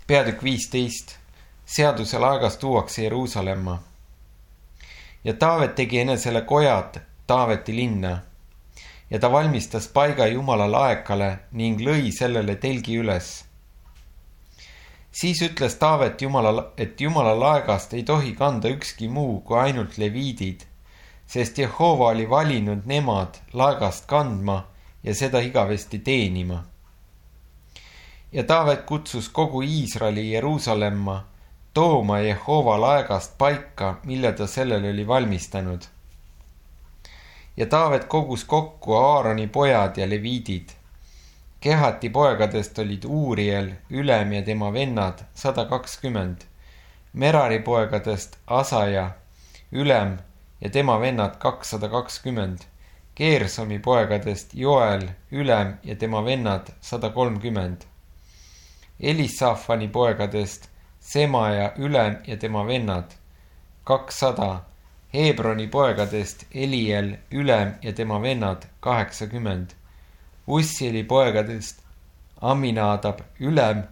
Peatükk 15. Seaduse laegas tuuakse Jeruusalemma. Ja Taavet tegi enesele kojad Taaveti linna. Ja ta valmistas paiga Jumala laekale ning lõi sellele telgi üles. Siis ütles Taavet et Jumala laegast ei tohi kanda ükski muu kui ainult leviidid, sest Jehova oli valinud nemad laegast kandma ja seda igavesti teenima. Ja Taavet kutsus kogu Iisraeli Jeruusalemma tooma Jehova laegast paika, mille ta sellele oli valmistanud. Ja Taavet kogus kokku Aaroni pojad ja leviidid. Kehati poegadest olid Uuriel, Ülem ja tema vennad 120, Merari poegadest Asaja, Ülem ja tema vennad 220, Geersomi poegadest Joel, Ülem ja tema vennad 130, Elisafani poegadest Semaja, Ülem ja tema vennad 200, Hebroni poegadest Eliel, Ülem ja tema vennad 80, Ussieli poegadest Aminadab, Ülem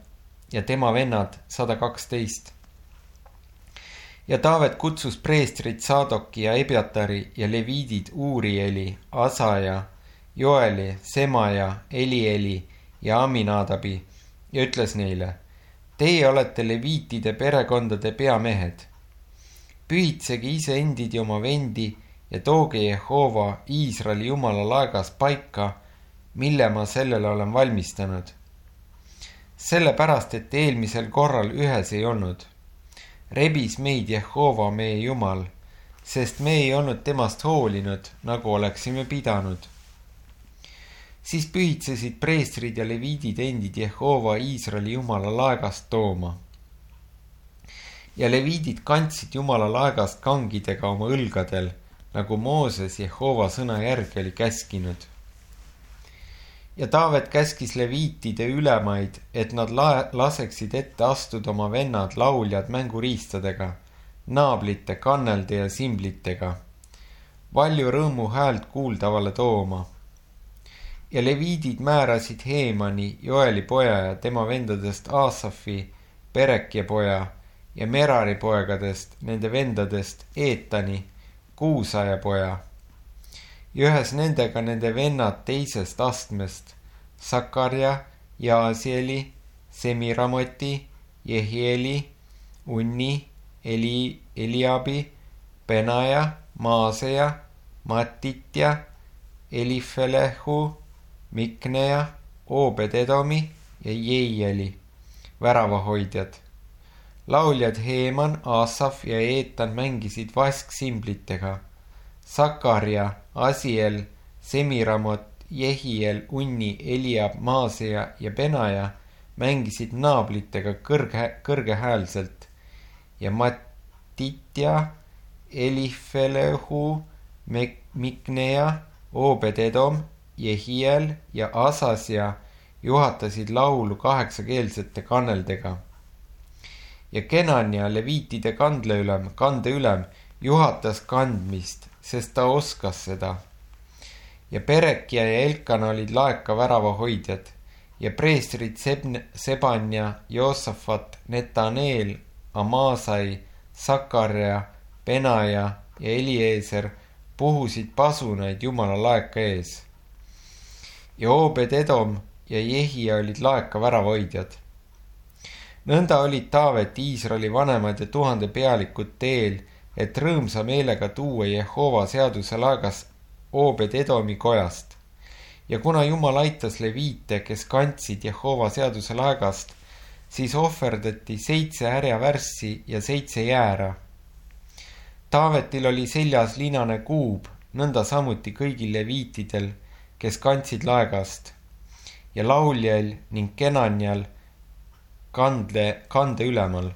ja tema vennad 112. Ja Taavet kutsus preestrid Saadoki ja Ebiatari ja leviidid Uurieli, Asaja, Joeli, Semaja, Elieli ja Aminadabi ja ütles neile: Teie olete leviitide perekondade peamehed. Pühitsege iseendid ja oma vendi ja tooge Jehova Iisraeli Jumala laegas paika, mille ma sellele olen valmistanud. Sellepärast, et eelmisel korral ühes ei olnud. Rebis meid Jehova meie Jumal, sest me ei olnud temast hoolinud, nagu oleksime pidanud. Siis pühitsesid preestrid ja leviidid endid Jehova Iisraeli Jumala laegast tooma. Ja leviidid kandsid Jumala laegast kangidega oma õlgadel, nagu Mooses Jehova sõna järgi oli käskinud. Ja Taavet käskis leviitide ülemaid, et nad laseksid ette astuda oma vennad lauljad mänguriistadega, naablite, kannelde ja simblitega, valju rõõmu häält kuuldavale tooma. Ja leviidid määrasid Heemani, Joeli poja ja tema vendadest Aasafi, Perekja poja ja Merari poegadest, nende vendadest Eetani, Kuusaja poja. Ja ühes nendega nende vennad teisest astmest, Sakarja, Jaasieli, Semiramoti, Jehieli, Unni, Eliabi, Benaja, Maaseja, Matitja, Elifelehu, Mikneja, Oobededomi ja Jeieli, väravahoidjad. Lauljad Heeman, Aasaf ja Eetan mängisid vasksimblitega. Sakarja, Asiel, Semiramot, Jehiel, Unni, Eliab, Maaseja ja Benaja mängisid naablitega kõrgehäälselt ja Matitja, Elifelehu, Mikneja, Oobededom, Jehiel ja Asasja juhatasid laulu 8-keelsete kanneldega. Ja Kenania, leviitide kandeülem, juhatas kandmist, sest ta oskas seda. Ja Perekja ja Elkana olid laeka väravahoidjad ja preestrid Sebanja, Joosafat, Netaneel, Amasai, Sakarja, Benaja ja Eliezer puhusid pasunaid Jumala laeka ees. Ja Oobededom ja Jehia olid laeka väravahoidjad. Nõnda olid Taavet, Iisraeli vanemad ja 1000 pealikud teel, et rõõmsa meelega tuua Jehova seaduse laegas Oobededomi kojast. Ja kuna Jumal aitas leviite, kes kandsid Jehova seaduse laegast, siis ohverdati 7 härjavärssi ja 7 jäära. Taavetil oli seljas linane kuub, nõnda samuti kõigil leviitidel, kes kandsid laegast, ja lauljal ning Kenanial kande ülemal.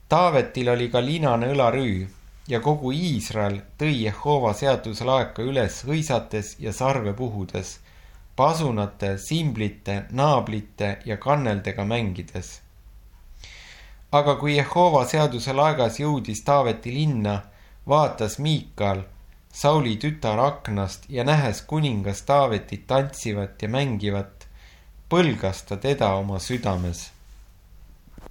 Taavetil oli ka linane õlarüü ja kogu Iisrael tõi Jehova seaduse laeka üles hõisates ja sarve puhudes, pasunate, simblite, naablite ja kanneldega mängides. Aga kui Jehova seaduse laegas jõudis Taaveti linna, vaatas Miikal, Sauli tütar aknast ja nähes kuningas Taavetit tantsivat ja mängivat, põlgas ta teda oma südames.